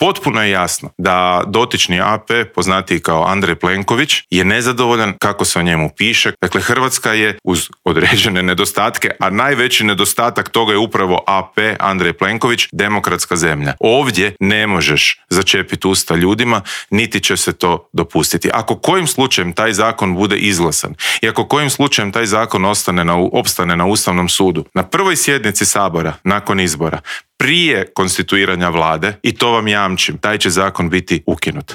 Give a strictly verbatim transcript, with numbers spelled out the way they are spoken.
Potpuno je jasno da dotični A P, poznatiji kao Andrej Plenković, je nezadovoljan kako se o njemu piše. Dakle, Hrvatska je uz određene nedostatke, a najveći nedostatak toga je upravo A P, Andrej Plenković, demokratska zemlja. Ovdje ne možeš začepiti usta ljudima, niti će se to dopustiti. Ako kojim slučajem taj zakon bude izglasan i ako kojim slučajem taj zakon ostane na, opstane na Ustavnom sudu, na prvoj sjednici Sabora nakon izbora, prije konstituiranja vlade, i to vam jamčim, taj će zakon biti ukinut.